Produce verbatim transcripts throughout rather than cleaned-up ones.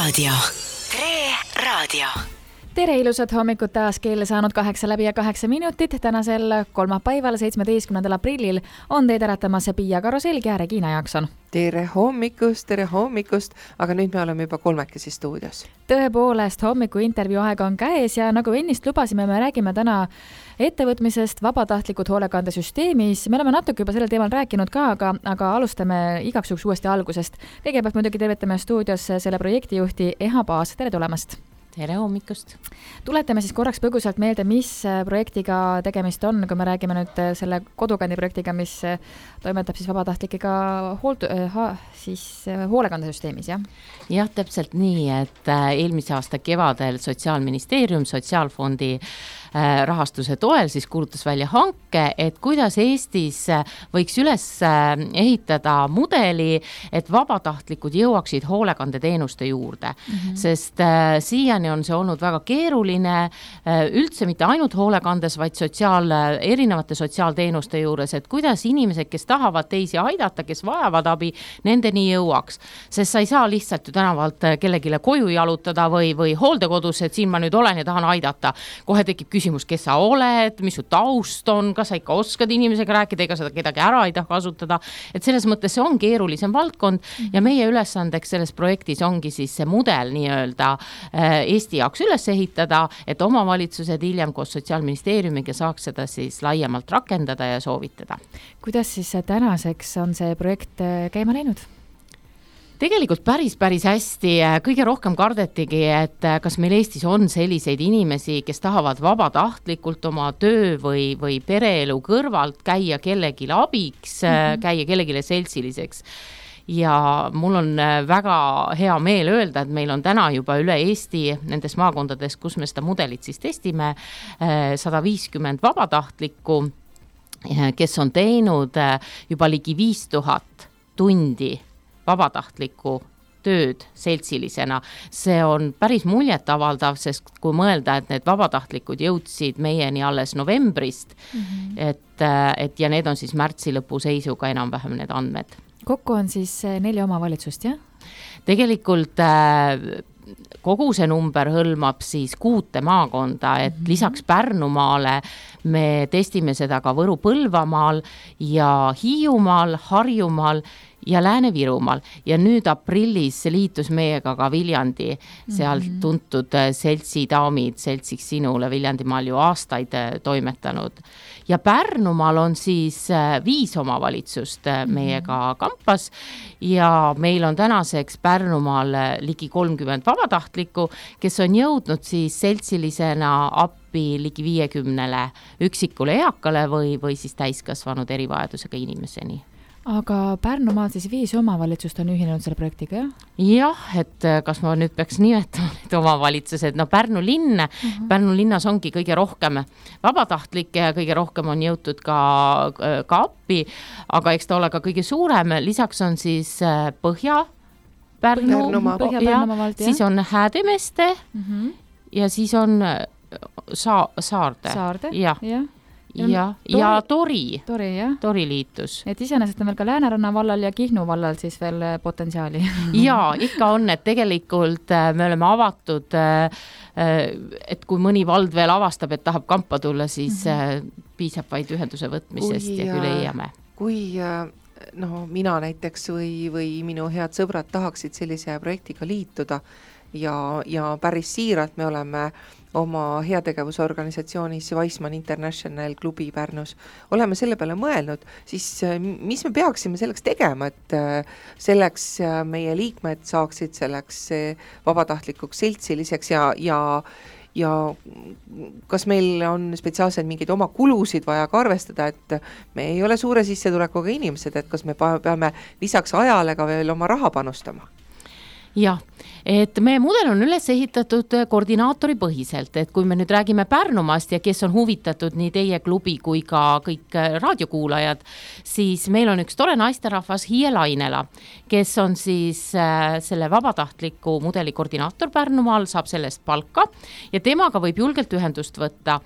Raadio. Tre Raadio. Tere ilusat hommikut taas, kell saanud kaheksa läbi ja kaheksa minutit. Tänasel kolmapäival, seitsmeteistkümnendal aprillil on teid äratamas Pia Karuselg ja Regina Jaakson. Tere hommikust, tere hommikust, aga nüüd me oleme juba kolmekesi stuudios. Tõepoolest, hommiku intervjuu aeg on käes ja nagu ennist lubasime, me räägime täna ettevõtmisest vabatahtlikud hoolekandesüsteemis. Me oleme natuke juba sellel teemal rääkinud ka, aga, aga alustame igaks juhuks uuesti algusest. Kõigepealt muidugi tervitame stuudios selle projektijuhti Eha Paas. Tere tulemast! Tere hommikust! Tuletame siis korraks põgusalt meelde, mis projektiga tegemist on, kui me räägime nüüd selle kodukandi projektiga, mis toimetab siis vabatahtlikega hoolt, ha, siis hoolekandesüsteemis, jah? Jah, täpselt nii, et eelmise aasta kevadel Sotsiaalministeerium Sotsiaalfondi rahastuse toel siis kuulutas välja hanke, et kuidas Eestis võiks üles ehitada mudeli, et vabatahtlikud jõuaksid hoolekandeteenuste juurde. Mm-hmm. Sest äh, siiani on see olnud väga keeruline, äh, üldse mitte ainult hoolekandes, vaid sotsiaal, erinevate sotsiaalteenuste juures, et kuidas inimesed, kes tahavad teisi aidata, kes vajavad abi, nendeni jõuaks. Sest sa ei saa lihtsalt ju tänavalt kellegile koju jalutada või, või hooldekodus, et siin ma nüüd olen ja tahan aidata. Kohe tekib küsimus, kes sa oled, mis su taust on, kas sa ikka oskad inimesega rääkida, ega seda kedagi ära ei taha kasutada. Et selles mõttes see on keerulisem valdkond ja meie ülesandeks selles projektis ongi siis see mudel nii-öelda Eesti jaoks üles ehitada, et omavalitsused hiljem koos Sotsiaalministeeriumiga saaks seda siis laiemalt rakendada ja soovitada. Kuidas siis tänaseks on see projekt käima läinud? Tegelikult päris, päris hästi. Kõige rohkem kardetigi, et kas meil Eestis on selliseid inimesi, kes tahavad vabatahtlikult oma töö või, või pereelu kõrvalt käia kellegile abiks, mm-hmm. käia kellegile seltsiliseks. Ja mul on väga hea meel öelda, et meil on täna juba üle Eesti nendes maakondades, kus me seda mudelit siis testime, sada viiskümmend vabatahtlikku, kes on teinud juba ligi viis tuhat tundi vabatahtliku tööd seltsilisena. See on päris muljetavaldav, sest kui mõelda, et need vabatahtlikud jõudsid meieni alles novembrist, mm-hmm. et, et ja need on siis märtsi lõpu seisuga enam-vähem need andmed. Kokku on siis neli omavalitsust, jah? Tegelikult kogu see number hõlmab siis kuute maakonda, et mm-hmm. lisaks Pärnumaale me testime seda ka Võru-Põlvamaal ja Hiiumaal, Harjumaal ja Lääne-Virumaal. Ja nüüd aprillis liitus meiega ka Viljandi, seal mm-hmm. tuntud seltsi daamid, seltsiks sinule Viljandimaal ju aastaid toimetanud. Ja Pärnumaal on siis viis omavalitsust meiega kampas ja meil on tänaseks Pärnumaal ligi kolmkümmend vabatahtlikku, kes on jõudnud siis seltsilisena appi ligi viiekümnele üksikule eakale või, või siis täiskasvanud erivajadusega inimeseni. Aga Pärnumaal siis viis omavalitsust on ühinenud selle projektiga, jah? Jah, et kas ma nüüd peaks nimetama need omavalitsused, no Pärnu linn, uh-huh. Pärnu linnas ongi kõige rohkem vabatahtlikke ja kõige rohkem on jõutud ka, ka appi, aga eks ta ole ka kõige suurem, lisaks on siis Põhja Pärnu, Põhja Pärnumaa, siis on Häädemeeste uh-huh. ja siis on Sa- Saarde. Saarde, jah. Ja. Ja, tori, ja Tori, tori, jah. Tori liitus. Et iseenesest on veel ka Lääneranna vallal ja Kihnu vallal siis veel potentsiaali. Ja, ikka on, et tegelikult me oleme avatud, et kui mõni vald veel avastab, et tahab kampa tulla, siis mm-hmm. piisab vaid ühenduse võtmisest kui, ja küll leiame. Kui no, mina näiteks või, või minu head sõbrad tahaksid sellise projektiga liituda ja, ja päris siiralt me oleme oma heategevusorganisatsioonis Weissman International klubi Pärnus, oleme selle peale mõelnud, siis mis me peaksime selleks tegema, et selleks meie liikmed saaksid selleks vabatahtlikuks seltsiliseks ja, ja, ja kas meil on spetsiaalselt mingeid oma kulusid vaja ka arvestada, et me ei ole suure sissetulekuga inimesed, et kas me peame lisaks ajale ka veel oma raha panustama? Jah, et meie mudel on üles ehitatud koordinaatori põhiselt, et kui me nüüd räägime Pärnumaast ja kes on huvitatud nii teie klubi kui ka kõik raadiokuulajad, siis meil on üks tore naisterahvas Hiie Lainela, kes on siis selle vabatahtliku mudeli koordinaator Pärnumaal, saab sellest palka ja temaga võib julgelt ühendust võtta.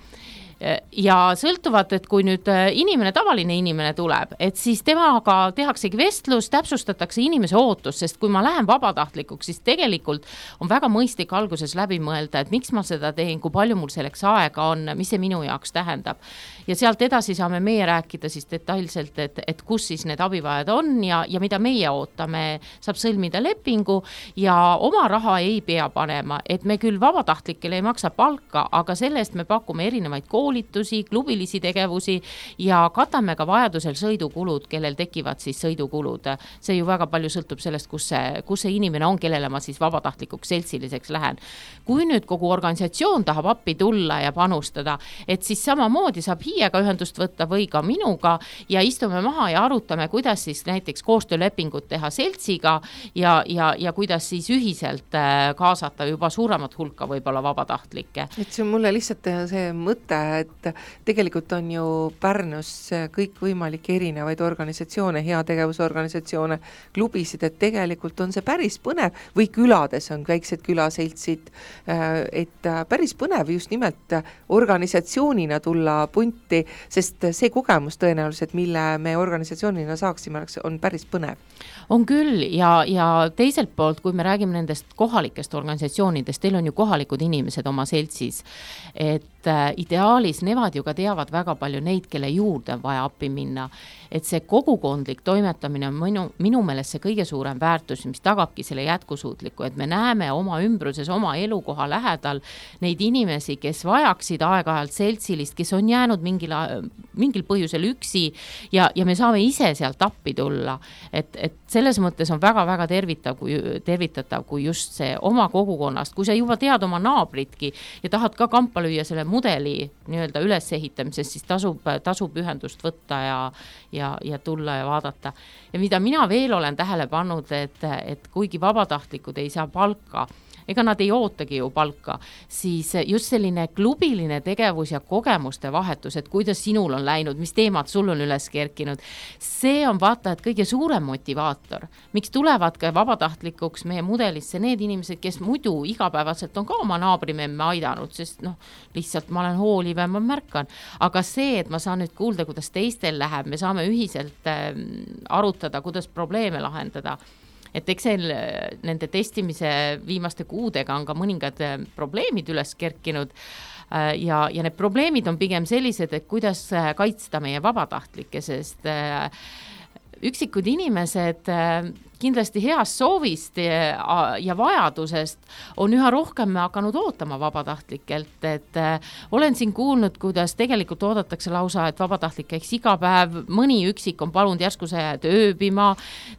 ja sõltuvad, et kui nüüd inimene, tavaline inimene tuleb, et siis temaga tehaksegi vestlus, täpsustatakse inimese ootus, sest kui ma lähen vabatahtlikuks, siis tegelikult on väga mõistlik alguses läbi mõelda, et miks ma seda teen, kui palju mul selleks aega on, mis see minu jaoks tähendab. Ja sealt edasi saame meie rääkida siis detailselt, et, et kus siis need abivajad on ja, ja mida meie ootame, saab sõlmida lepingu ja oma raha ei pea panema, et me küll vabatahtlikele ei maksa palka, aga selle eest me pakume erinevaid koolitusi, klubilisi tegevusi ja katame ka vajadusel sõidukulud, kellel tekivad siis sõidukulud. See ju väga palju sõltub sellest, kus see, kus see inimene on, kellele ma siis vabatahtlikuks seltsiliseks lähen. Kui nüüd kogu organisatsioon tahab appi tulla ja panustada, et siis samamoodi saab hiiega ühendust võtta või ka minuga ja istume maha ja arutame, kuidas siis näiteks koostöölepingut teha seltsiga ja, ja, ja kuidas siis ühiselt kaasata juba suuremat hulka võib-olla vabatahtlikke. Et see on mulle lihtsalt see mõte, et tegelikult on ju Pärnus kõik võimalik erinevaid organisatsioone, heategevusorganisatsioone, klubisid, et tegelikult on see päris põnev või külades on väiksed külaseltsid, et päris põnev just nimelt organisatsioonina tulla punti, sest see kogemus tõenäoliselt, mille me organisatsioonina saaksime, on päris põnev. On küll ja, ja teiselt poolt, kui me räägime nendest kohalikest organisatsioonidest, teil on ju kohalikud inimesed oma seltsis, et ideaalis nemad ju ka teavad väga palju neid, kelle juurde on vaja appi minna. Et see kogukondlik toimetamine on minu, minu meelest see kõige suurem väärtus, mis tagabki selle jätkusuutliku, et me näeme oma ümbruses, oma elukoha lähedal neid inimesi, kes vajaksid aeg-ajalt seltsilist, kes on jäänud mingil, mingil põhjusel üksi ja, ja me saame ise sealt appi tulla. Et, et selles mõttes on väga-väga tervitav, kui, tervitatav, kui just see oma kogukonnast, kui sa juba tead oma naabritki ja tahad ka kampa lüüa selle mudeli nii-öelda ülesehitamises, siis tasub, tasub ühendust võtta ja, ja, ja tulla ja vaadata. Ja mida mina veel olen tähele pannud, et, et kuigi vabatahtlikud ei saa palka, ega nad ei ootagi ju palka, siis just selline klubiline tegevus ja kogemuste vahetus, et kuidas sinul on läinud, mis teemad sul on üles kerkinud, see on vaata, et kõige suurem motivaator. Miks tulevad ka vabatahtlikuks meie mudelisse need inimesed, kes muidu igapäevaselt on ka oma naabrimemme aidanud, sest noh, lihtsalt ma olen hooliv ja ma märkan. Aga see, et ma saan nüüd kuulda, kuidas teistel läheb, me saame ühiselt arutada, kuidas probleeme lahendada. Et Excel nende testimise viimaste kuudega on ka mõningad probleemid üles kerkinud ja, ja need probleemid on pigem sellised, et kuidas kaitsta meie vabatahtlikke, sest üksikud inimesed kindlasti heast soovist ja vajadusest on üha rohkem hakanud ootama vabatahtlikelt, et olen siin kuulnud, kuidas tegelikult oodatakse lausa, et vabatahtlik käiks iga päev, mõni üksik on palunud järsku see jääd ööbima,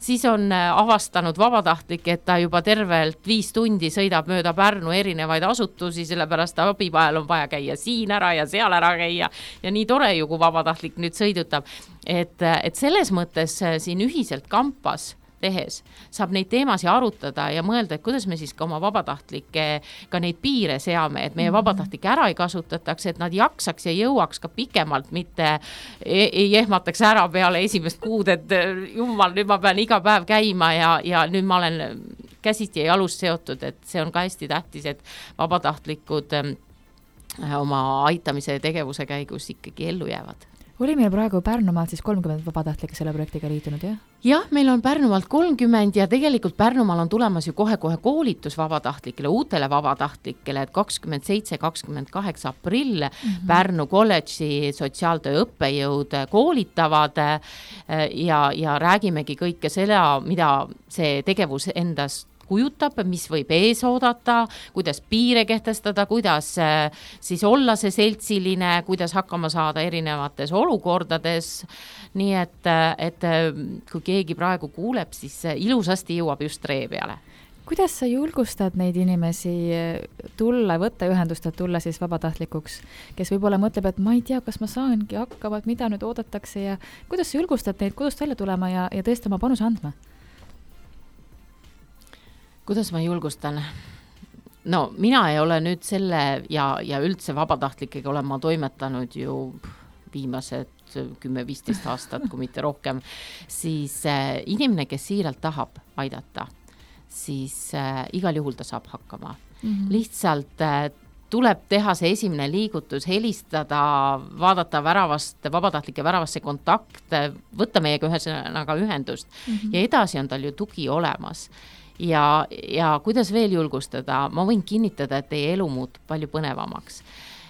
siis on avastanud vabatahtlik, et ta juba tervelt viis tundi sõidab mööda Pärnu erinevaid asutusi, sellepärast abivajal on vaja käia siin ära ja seal ära käia ja nii tore ju, kui vabatahtlik nüüd sõidutab, et, et selles mõttes siin ühiselt kampas tehes saab neid teemasid arutada ja mõelda, et kuidas me siis ka oma vabatahtlikke ka neid piire seame, et meie vabatahtlikke ära ei kasutataks, et nad jaksaks ja jõuaks ka pikemalt, mitte ei ehmataks ära peale esimest kuud, et jumal, nüüd ma pean iga päev käima ja, ja nüüd ma olen käsiti ja jalust seotud, et see on ka hästi tähtis, et vabatahtlikud oma aitamise tegevuse käigus ikkagi ellu jäävad. Oli meil praegu Pärnumaalt siis kolmkümmend vabatahtlikke selle projektiga liitunud, jah? Jah, meil on Pärnumaalt kolmkümmend ja tegelikult Pärnumaal on tulemas ju kohe-kohe koolitus vabatahtlikele, uutele vabatahtlikele, et kakskümmend seitse kakskümmend kaheksa aprill mm-hmm. Pärnu kolledži sotsiaaltöö õppejõud koolitavad ja, ja räägimegi kõike selle, mida see tegevus endast kujutab, mis võib ees oodata, kuidas piire kehtestada, kuidas siis olla see seltsiline, kuidas hakkama saada erinevates olukordades. Nii et, et kui keegi praegu kuuleb, siis ilusasti jõuab just ree peale. Kuidas sa julgustad neid inimesi tulla, võtta ühendust, et tulla siis vabatahtlikuks, kes võib-olla mõtleb, et ma ei tea, kas ma saangi hakkama, mida nüüd oodatakse ja kuidas sa julgustad neid kodust välja tulema ja, ja tõesti oma panuse andma? Kuidas ma julgustan? No mina ei ole nüüd selle ja, ja üldse vabatahtlikega olen ma toimetanud ju viimased kümme viisteist aastat, kui mitte rohkem, siis äh, inimene, kes siiralt tahab aidata, siis äh, igal juhul ta saab hakkama. Mm-hmm. Lihtsalt äh, tuleb teha see esimene liigutus, helistada, vaadata väravast, vabatahtlike väravasse kontakt, võtta meiega ühesõnaga ühendust mm-hmm. ja edasi on tal ju tugi olemas. Ja, ja kuidas veel julgustada, ma võin kinnitada, et teie elu muutub palju põnevamaks.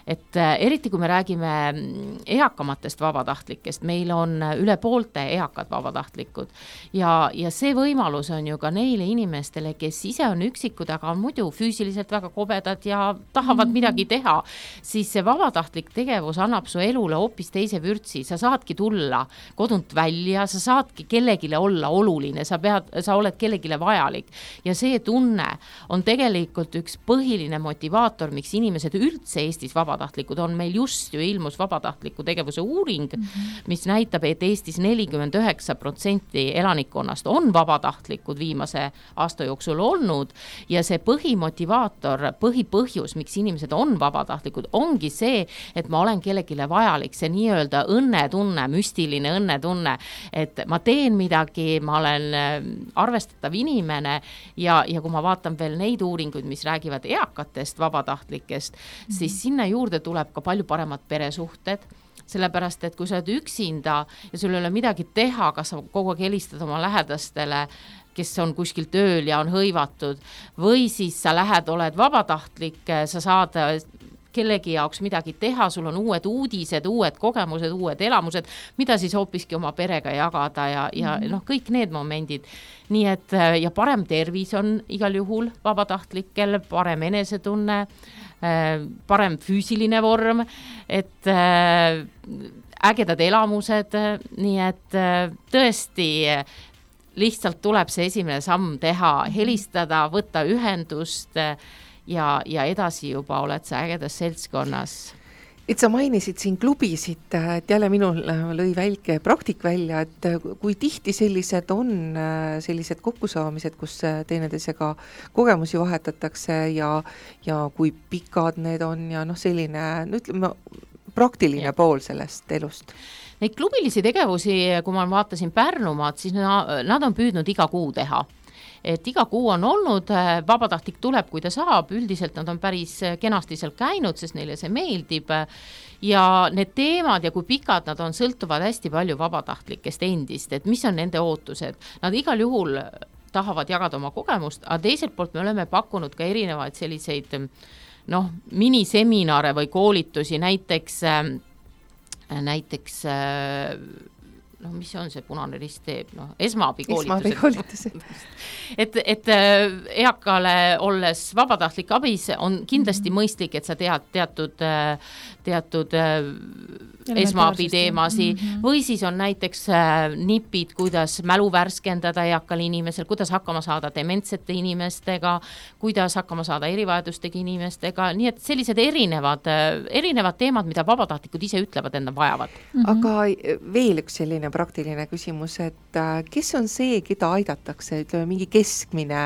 Et eriti kui me räägime eakamatest vabatahtlikest, meil on üle poolte eakad vabatahtlikud ja, ja see võimalus on ju ka neile inimestele, kes ise on üksikud, aga on muidu füüsiliselt väga kobedad ja tahavad mm-hmm. midagi teha, siis see vabatahtlik tegevus annab su elule hoopis teise vürtsi, sa saadki tulla kodunt välja, sa saadki kellegile olla oluline, sa pead, sa oled kellegile vajalik ja see tunne on tegelikult üks põhiline motivaator, miks inimesed üldse Eestis vabatahtlikud vabatahtlikud on, meil just ju ilmus vabatahtliku tegevuse uuring, mm-hmm. mis näitab, et Eestis nelikümmend üheksa protsenti elanikkonnast on vabatahtlikud viimase aasta jooksul olnud ja see põhimotivaator, põhipõhjus, miks inimesed on vabatahtlikud, ongi see, et ma olen kellegile vajalik, see nii-öelda õnnetunne, müstiline õnnetunne, et ma teen midagi, ma olen arvestatav inimene ja, ja kui ma vaatan veel neid uuringuid, mis räägivad eakatest vabatahtlikest, mm-hmm. siis sinna juurde tuleb ka palju paremad peresuhted, sellepärast, et kui sa oled üksinda ja sul ei ole midagi teha, kas sa kogu aeg helistad oma lähedastele, kes on kuskil tööl ja on hõivatud, või siis sa lähed, oled vabatahtlik, sa saad kellegi jaoks midagi teha, sul on uued uudised, uued kogemused, uued elamused, mida siis hoopiski oma perega jagada ja, ja mm-hmm. noh, kõik need momendid. Nii et ja parem tervis on igal juhul vabatahtlikel, parem enesetunne, parem füüsiline vorm, et ägedad elamused, nii et tõesti lihtsalt tuleb see esimene samm teha, helistada, võtta ühendust ja, ja edasi juba oled sa ägedas seltskonnas. Et sa mainisid siin klubisid, et jälle minul lõi välke praktik välja, et kui tihti sellised on sellised kokkusaamised, kus teineteisega kogemusi vahetatakse ja, ja kui pikad need on ja noh, selline, no ütleme, praktiline ja. Pool sellest elust. Neid klubilisi tegevusi, kui ma vaatasin Pärnumaad, siis nad on püüdnud iga kuu teha. Et iga kuu on olnud, vabatahtlik tuleb, kui ta saab, üldiselt nad on päris kenasti seal käinud, sest neile see meeldib ja need teemad ja kui pikad nad on, sõltuvad hästi palju vabatahtlikest endist, et mis on nende ootused. Nad igal juhul tahavad jagada oma kogemust, aga teiselt poolt me oleme pakkunud ka erinevaid selliseid noh, miniseminare või koolitusi, näiteks näiteks noh, mis on see Punane Rist teeb, noh, esmaabikoolitused. et, et eakale olles vabatahtlik abis on kindlasti mm-hmm. mõistlik, et sa tead teatud, teatud esmaabi teemasi mm-hmm. või siis on näiteks nipid, kuidas mälu värskendada eakal inimesel, kuidas hakkama saada dementsete inimestega, kuidas hakkama saada erivajadustega inimestega, nii et sellised erinevad, erinevad teemad, mida vabatahtlikud ise ütlevad, enda vajavad. Mm-hmm. Aga veel üks selline praktiline küsimus, et kes on see, keda aidatakse, ütleme mingi keskmine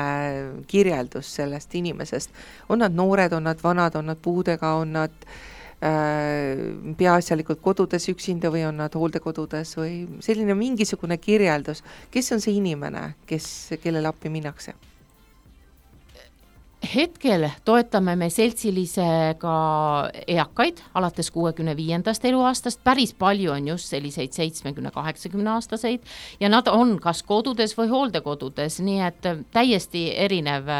kirjeldus sellest inimesest, on nad noored, on nad vanad, on nad puudega, on nad peaasjalikult kodudes üksinda või on nad hooldekodudes või selline mingisugune kirjeldus, kes on see inimene, kes, kellele appi minnakse? Hetkel toetame me seltsilisega eakaid alates kuuekümne viiendast eluaastast, päris palju on just selliseid seitsmekümne kaheksakümne aastaseid ja nad on kas kodudes või hooldekodudes, nii et täiesti erinev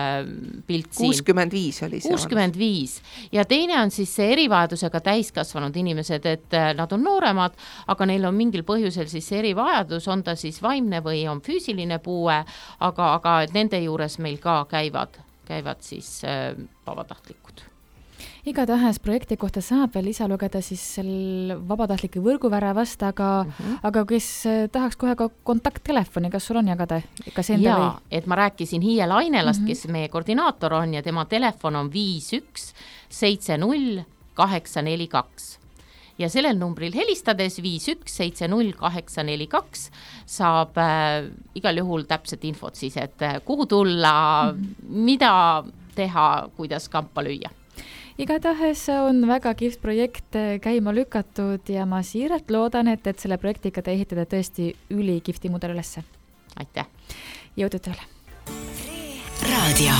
pilt siin. kuuskümmend viis oli see. kuuskümmend viis ja teine on siis see erivajadusega täiskasvanud inimesed, et nad on nooremad, aga neil on mingil põhjusel siis erivajadus, on ta siis vaimne või on füüsiline puue, aga, aga nende juures meil ka käivad käivad siis äh, vabatahtlikud. Igatahes projekti kohta saab veel lisa lugeda siis sel vabatahtlike võrguväravast, aga, mm-hmm. aga kes tahaks kohe ka kontakttelefoni, kas sul on jagada? Kas enda ja, või? Et ma rääkisin Hiie Lainelast, mm-hmm. kes meie koordinaator on ja tema telefon on viis üks seitse null kaheksa neli kaks. Ja sellel numbril helistades viis üks seitse null kaheksa neli kaks saab äh, igal juhul täpset infot siis, et äh, kuhu tulla, mm-hmm. mida teha, kuidas kampa lüüa. Igatahes on väga kihvt projekt käima lükatud ja ma siiralt loodan, et, et selle projektiga te ehitada tõesti üli kihvti mudel ülesse. Aitäh! Jõudu tööle! Raadio.